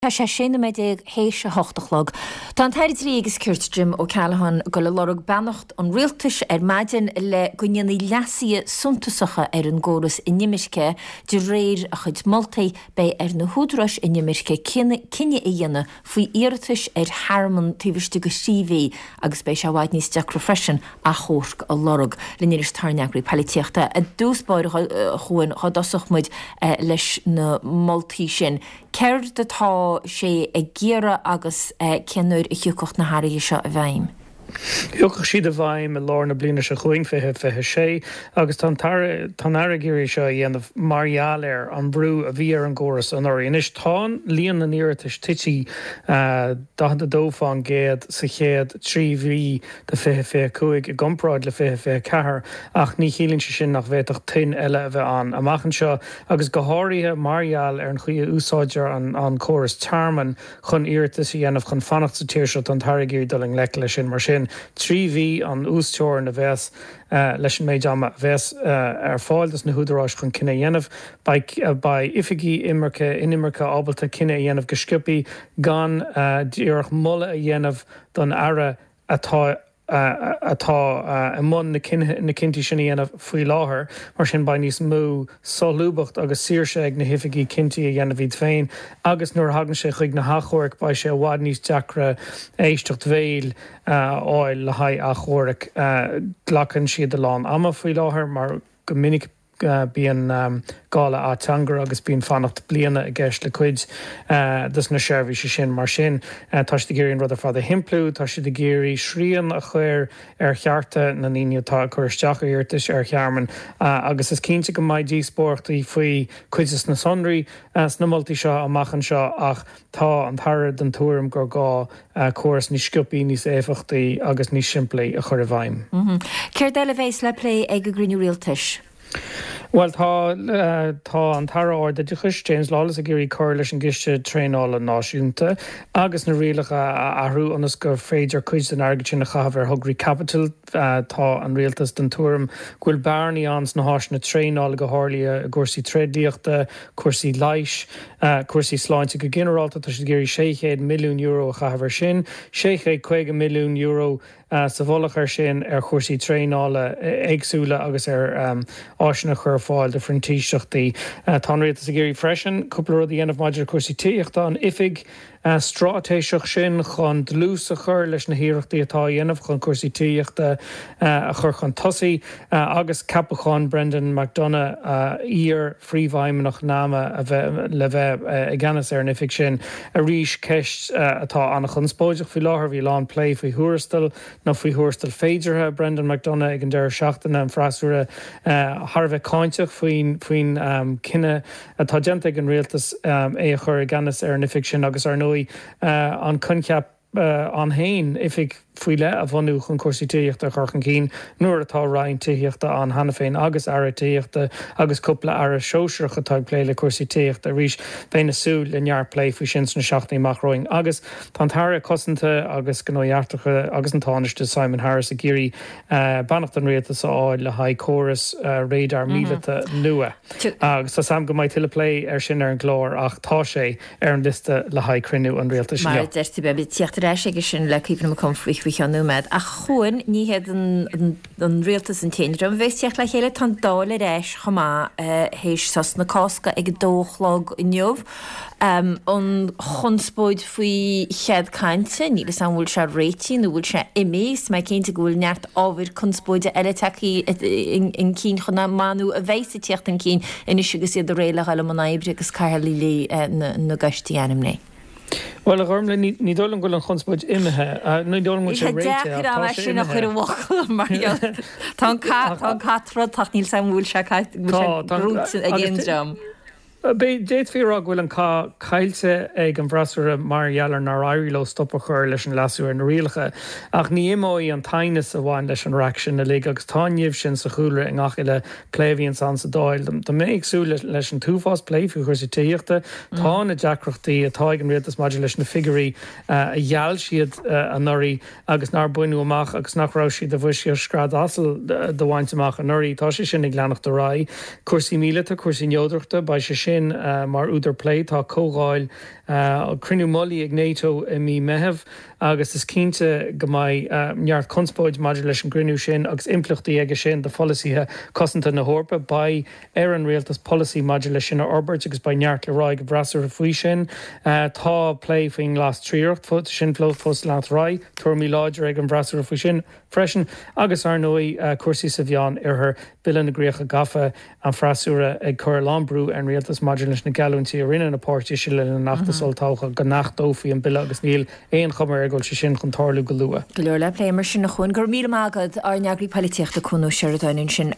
Tá sé 16 nóiméad théis a hocht a chlog. Tá an tAire Dlí agus Cirt Jim O'Callaghan ag dul ag lorg beannacht an Rialtais ar maidin le go ndéanfaí leasuithe suntasacha ar an gcóras inimirce. De réir a chuid moltaí, beidh ar na húdaráis inimirce cinneadh a dhéanamh faoi iarratais ar thearmann taobh istigh de thrí mhí agus beidh sé i bhfad níos deacra freisin achomharc a lorg. Linn anois tá ár n-eagraí poilitíochta. I dtús báire, a Chuain, dhá dtosódh muid leis na moltaí sin. Céard atá sé ag iarraidh agus cén uair a thiocfadh na hathruithe seo i bhfeidhm? Thiocfadh siad i bhfeidhm i lár na bliana seo chugainn, 2026, agus tá an tAire, tá an Aire ag iarraidh seo a dhéanamh mar gheall ar an mbrú a bhí ar an gcóras anuraidh. Anois tá líon na n-iarratais tite 42% sa chéad 3 mhí de 2025 i gcomparáid le 2024 ach ní chiallaíonn sé sin nach bhféadfadh toinn eile a bheith ann amach anseo agus go háirithe mar gheall ar an chaoi a úsáidtear an córas tearmainn chun iarratas a dhéanamh chun fanacht sa tír seo. Tá an tAire ag iarraidh dul i ngleic leis sin. Mar sin, 3 mhí an uasteorainn a bheas leis an méid ama a bheas ar fáil dos na húdaráis chun cinneadh a dhéanamh. Beidh beidh oifigigh imirce inimirce ábalta cinneadh a dhéanamh go sciobthaí gan díreach moladh a dhéanamh don Aire atá atá i mbun na cinntí sin a dhéanamh faoi láthair. Mar sin beidh níos mó solúbthacht agus saoirse ag na hoifigigh cinntí a dhéanamh iad féin agus nuair a thagann sé chuig na hachomhairc beidh sé i bhfad níos deacra éisteacht bhéil a fháil le haghaidh achomhairc. Glacann siad a lán ama faoi láthair mar go minic Bíonn gá le ateangaire agus bíonn fanacht bliana i gceist le cuid de na seirbhísí sin. Mar sin, tá siad ag iarraidh an rud ar fad a shimpliú, tá siad ag iarraidh srian a chur ar chearta na ndaoine atá ag cur isteach ar iarratais ar thearmann agus is cinnte go mbeidh díospóireachtaí faoi cuid de na sonraí sna moltaí seo amach anseo ach tá an tAire den tuairim gur gá córas níos sciobthaí, níos éifeachtaí agus níos simplí a chur i bhfeidhm. Céard eile a bheas le plé ag an gcruinniú rialtais? Bhuel, tá tá an tAire Ardoideachais, James Lawless, ag iarraidh cur leis an gCiste Traenála Náisiúnta agus na rialacha a athrú ionas gur féidir cuid den airgead sin a chaitheamh ar thograí caipitil. Tá an Rialtas den tuairim go bhfuil bearnaí ann sna háiseanna traenála, go háirithe i gcúrsaí tréidliachta, cúrsaí leighis, cúrsaí sláinte go ginearálta. Tá siad ag iarraidh €600 milliún a chaitheamh air sin, €650 milliún sa mhullach air sin ar chúrsaí traenála éagsúla agus ar áiseanna a chur ar fáil do phrintíseachtaí. Tá an Rialtas ag iarraidh freisin cúpla rud a dhéanamh maidir le cúrsaí tithíochta, an oifig straitéiseach sin chun dlús a chur leis na hiarrachtaí atá á dhéanamh chun cúrsaí tithíochta a chur chun tosaigh agus ceapachán Brendan McDonagh, iar-phríomhfheidhmeannach NAMA, a bheith le bheith i gceannas ar an oifig sin. Arís, ceist atá an-chonspóideach faoi láthair, bhí a lán plé faoi thuarastal nó faoi thuarastal féideartha Brendan McDonagh ag an deireadh seachtaine, an freasúra thar a bheith cáinteach faoin chinneadh atá déanta ag an rialtas é a chur i gceannas ar an oifig sin agus, ar ndóigh, an coincheap ann féin, oifig faoi leith a bhunú chun cúrsaí tithíochta a chur chun cinn nuair atá Roinn Tithíochta ann cheana féin agus Aire Tithíochta agus cúpla Aire sóisearach atá ag plé le cúrsaí tithíochta. Arís, bheinn ag súil le neart plé faoi sin sna seachtainí amach romhainn. Agus tá an tAire Cosanta agus Gnóthaí Eachtracha agus an Tánaiste Simon Harris ag iarraidh beannacht an Rialtais a fháil le haghaidh córas radar míleata nua. Agus tá 's a'm go mbeidh tuilleadh plé air sin ar an gclár ach tá sé ar an liosta le haghaidh cruinniú an Rialtais inniu. Mar a deir tú, beimid ag tíocht ar ais aige sin le Caoimhín Mac Cumhaill faoi cheann nóiméad. Ach a Chuain, ní hiad an Rialtas an t-aon dream a bheas ag tíocht le chéile, tá an Dáil ar ais chomh maith théis sos na Cásca ag a dó a chlog inniu. An chonspóid faoi chead cainte, níl 'fhios a'm an bhfuil sé réitithe nó bhfuil sé imithe, is mé cinnte go bhfuil neart ábhair conspóide eile tagtha chun cinn chomh maith nó a bheas ag tíocht chun cinn anois agus iad réidh le dhul i mbun oibre agus cathaoirligh na gcoistí ainmnithe. Bhuel, a Ghormlaith, ní dóigh liom go bhfuil an chonspóid imithe, ní dóigh liom go bhfuil sé réitithe ach tá sé imithe. Tá sé deacair é sin a chur i bhfocail mar gheall tá an cath, tá an cath troidte ach níl 'fhios a'm an bhfuil sé gnóthaithe ag aon dream. D'fhéadfaí a rá go bhfuil an cath caillte ag an bhfreasúra mar gheall ar nár éirigh leo stop a chur leis an leasú ar na rialacha. Ach ní imeoidh an t-aighneas a bhain leis an raic sin uilig agus tá an nimh sin sa chúlra i ngach uile plé a bhíonns ann sa Dáil. Tá mé ag súil leis an t-uafás plé faoi chúrsaí tithíochta. Tá na deacrachtaí atá ag an rialtas maidir leis na figiúirí a gheall siad anuraidh agus nár baineadh amach agus nach raibh siad i bhfoisceacht scread asail do bhaint amach anuraidh. Tá sé sin ag leanacht ar aghaidh. Cúrsaí míleata, cúrsaí neodrachta, beidh sé sin mar údar plé. Tá comhdháil Cruinniú mullaigh ag NATO i mí Meitheamh agus is cinnte go mbeidh neart conspóid maidir leis an gcruinniú sin agus impleachtaí aige sin do pholasaithe cosanta na hEorpa. Beidh ar an rialtas polasaí maidir leis sin a fhorbairt agus beidh neart le rá ag an bhfreasúra faoi sin. Tá plé faoin nGlas Triarach, sin fós ag leanacht ar aghaidh, tuairimí láidre ag an bhfreasúra faoi sin. freisin, agus ar ndóigh cúrsaí sa Mheán Oirthear, Bille na gCríocha Gafa, an freasúra ag cur a lán brú ar an rialtas maidir leis na geallúintí a rinne na páirtithe le linn an fheachtais olltoghcháin go n-achtófaí an bille agus níl aon chuma air go bhfuil sé sin chun tarlú go luath. Go leor le plé mar sin a Chuain. Go raibh míle maith agat, ár n-eagraí poilitíochta Cuan Ó Seireadáin ansin.